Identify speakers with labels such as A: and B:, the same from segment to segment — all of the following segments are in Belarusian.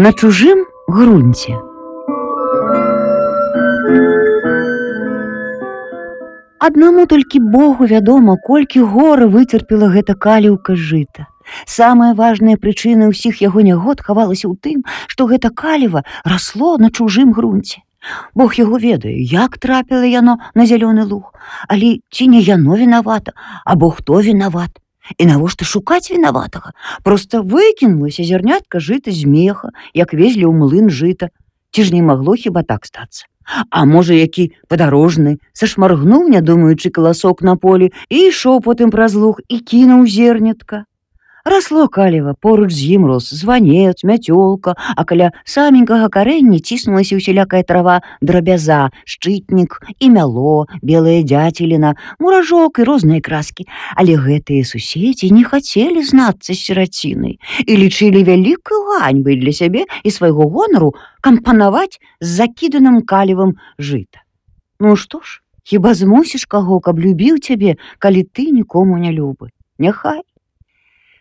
A: На чужым грунце. Аднаму толькі Богу вядома, колькі гора выцерпела гэта каліўка жыта. Самая важная прычына ўсіх яго нягод хавалася ў тым, што гэта каліва расло на чужым грунце. Бог яго ведае, як трапіла яно на зялёны луг, але ці не яно вінавата, або хто вінават. І навошта шукаць вінаватага? Проста выкінулася зярнятка жыта з меха, як везлі ў млын жыта. Ці ж не магло хіба так стацца? А можа, які падарожны сашмаргнуў, не думаючы, каласок на полі і ішоў потым праз луг і кінуў зернятка. Расло каліва, поруч з ім рос званец, мяцёлка, а каля саменькага карэння ціснулася ўсялякая трава, драбяза, шчытнік і мяло, белая дзяцеліна, муражок і розныя краскі. Але гэтыя суседзі не хацелі знацца з сірацінай і лічылі вялікай ганьбай для сябе і свайго гонару кампанаваць з закіданым калівам жыта. Ну што ж, хіба змусіш каго, каб любіў цябе, калі ты нікому не любы? Няхай.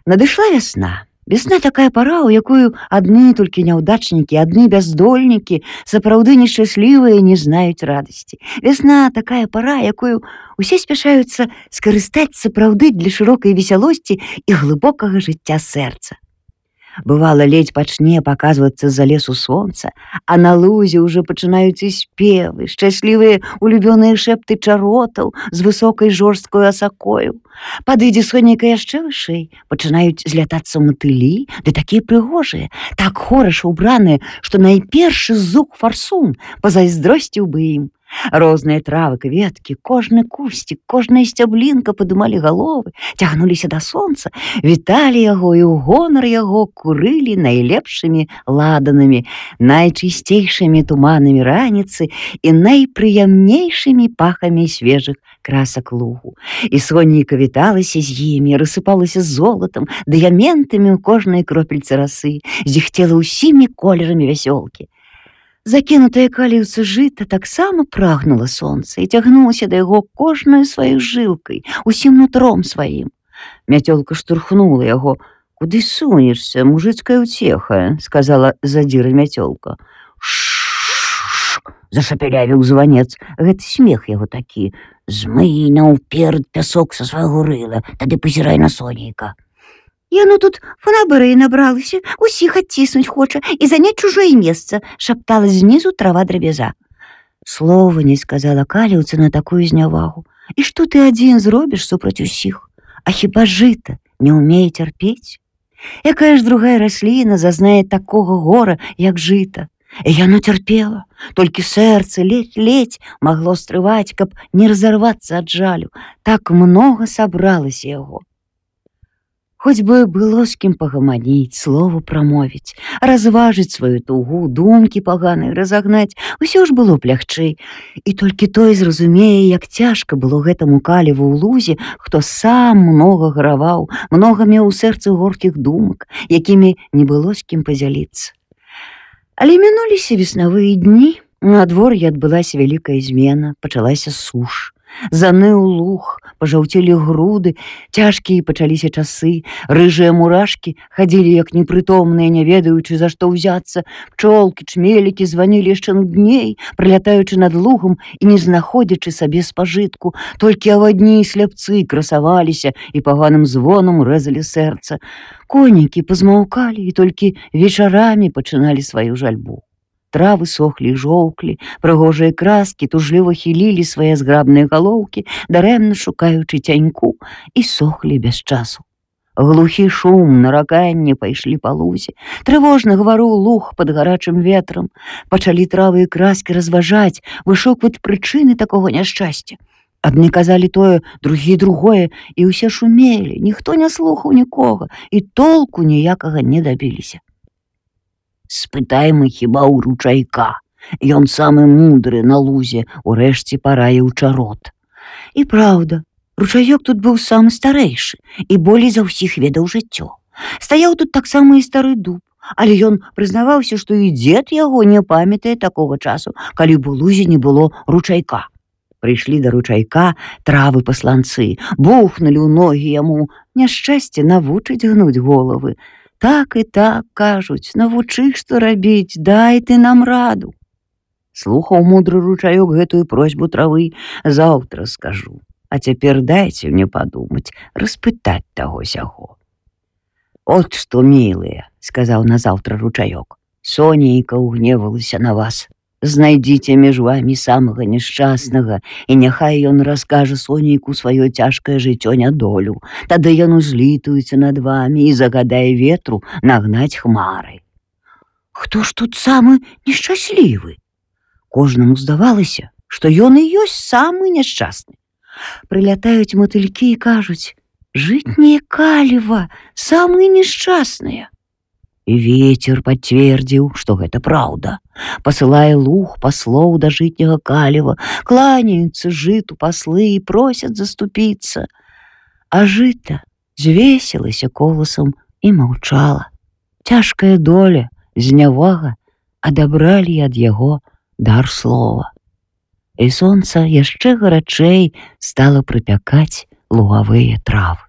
A: Надышла вясна. Вясна такая пара, у якую адны толькі няўдачнікі, адны бяздольнікі, сапраўды нешчаслівыя, не знаюць радасці. Вясна такая пара, якую усе спяшаюцца скарыстаць сапраўды для шырокай весялосці і глыбокага жыцця сэрца. Бывала, ледзь пачне паказвацца з-за лесу сонца, а на лузе ўжо пачынаюць і спевы, шчаслівыя улюбёныя шэпты чаротаў з высокай жорсткою асакою. Падыдзе сонейка яшчэ вышэй, пачынаюць злятацца матылі, ды такія прыгожыя, так хораша ўбраныя, што найпершы зук фарсун пазайздросціў бы ім. Розныя травы, кветкі, кожны кусцік, кожная сцяблінка падымалі галовы, цягнуліся да сонца, віталі яго і ў гонар яго курылі найлепшымі ладанамі, найчысцейшымі туманамі раніцы і найпрыемнейшымі пахамі свежых красак лугу. І сонейка віталася з імі, рассыпалася золатам, дыяментамі ў кожнай кропельцы расы, зіхцела ўсімі колерамі вясёлкі. Закінутае каліўца жыта таксама прагнула сонца і цягнулася да яго кожнаю сваёй жылкай, усім нутром сваім. Мяцёлка штурхнула яго. «Куды сунешся, мужыцкая ўцеха?» — сказала задзіра мяцёлка. «Ш-ш-ш!» — зашапялявіў званец. Гэта смех яго такі. «Змый наўперад пясок са свайго рыла, тады пазірай на сонейка». «Яно тут фанабэрыі набралася, усіх адціснуць хоча і заняць чужое месца», — шаптала знізу трава драбяза. Слова не сказала каліўца на такую знявагу. «І што ты адзін зробіш супраць усіх? А хіба жыта не ўмее цярпець? Якая ж другая расліна зазнае такога гора, як жыта?» І яно цярпела, толькі сэрца ледзь-ледзь магло стрываць, каб не разарвацца ад жалю. Так многа сабралася яго. Хоць бы было з кім пагаманіць, слову прамовіць, разважыць сваю тугу, думкі паганыя разагнаць, усё ж было б лягчэй. І толькі той зразумее, як цяжка было гэтаму каліву ў лузе, хто сам многа гараваў, многа меў у сэрцы горкіх думак, якімі не было з кім падзяліцца. Але мінуліся веснавыя дні, надвор'і адбылася вялікая змена, пачалася суш. Заныў луг, пажаўцелі груды, цяжкія пачаліся часы, рыжыя мурашкі хадзілі як непрытомныя, не ведаючы, за што ўзяцца, пчолкі, чмелікі званілі яшчэ нудней, пралятаючы над лугам і не знаходзячы сабе спажытку, толькі авадні і сляпцы красаваліся і паганым звонам рэзалі сэрца. Конікі пазмаўкалі і толькі вечарамі пачыналі сваю жальбу. Травы сохлі і жоўклі, прыгожыя краскі тужліва хілілі свае зграбныя галоўкі, дарэмна шукаючы цяньку, і сохлі без часу. Глухі шум, нараканне пайшлі па лузе. Трывожна гаварыў луг пад гарачым ветрам. Пачалі травы і краскі разважаць, вышукваць прычыны такога няшчасця. Адны казалі тое, другія другое, і ўсе шумелі, ніхто не слухаў нікога, і толку ніякага не дабіліся. «Спытайма хіба ў ручайка. Ён самы мудры на лузе, урэшце параіў чарот». І праўда, ручаёк тут быў самы старэйшы і болей за ўсіх ведаў жыццё. Стаяў тут таксама і стары дуб, але ён прызнаваўся, што і дзед яго не памятае такога часу, калі б у лузе не было ручайка. Прыйшлі да ручайка травы-пасланцы, бухнулі ў ногі яму. Няшчасце навучыць гнуць головы. Так і так, кажуць, навучы, што рабіць, дай ты нам раду. Слухаў мудры ручаёк гэтую просьбу травы, заўтра скажу. А цяпер дайце мне падумаць, распытаць таго сяго. От што, мілыя, сказаў назаўтра ручаёк, Сонейка ўгневалася на вас. Знайдзіце між вамі самага няшчаснага, і няхай ён раскажа Сонейку сваё цяжкае жыццё нядолю. Тады ён узлітуецца над вамі і загадае ветру нагнаць хмары. Хто ж тут самы нешчаслівы? Кожнаму здавалася, што ён і ёсць самы няшчасны. Прылятаюць матылькі і кажуць: «Жытняе каліва, самыя нешчасныя». І вецер пацвердзіў, што гэта праўда. Пасылае луг паслоў да жытняга каліва, кланяюцца жыту паслы і просяць заступіцца. А жыта звесілася коласам і маўчала. Цяжкая доля, знявага адабралі ад яго дар слова. І сонца яшчэ гарачэй стала прыпякаць лугавыя травы.